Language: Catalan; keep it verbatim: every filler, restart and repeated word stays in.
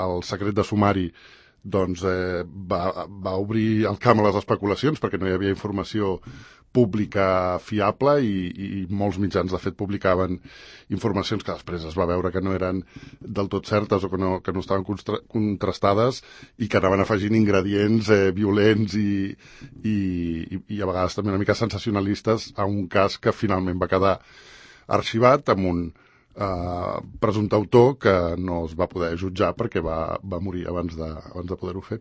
el secret de sumari doncs, eh, va, va obrir el camp a les especulacions perquè no hi havia informació pública fiable i, i molts mitjans, de fet, publicaven informacions que després es va veure que no eren del tot certes o que no, que no estaven contrastades i que anaven afegint ingredients eh, violents i, i, i a vegades també una mica sensacionalistes a un cas que finalment va quedar arxivat amb un Uh, presumpte autor que no es va poder jutjar perquè va, va morir abans de, abans de poder-ho fer.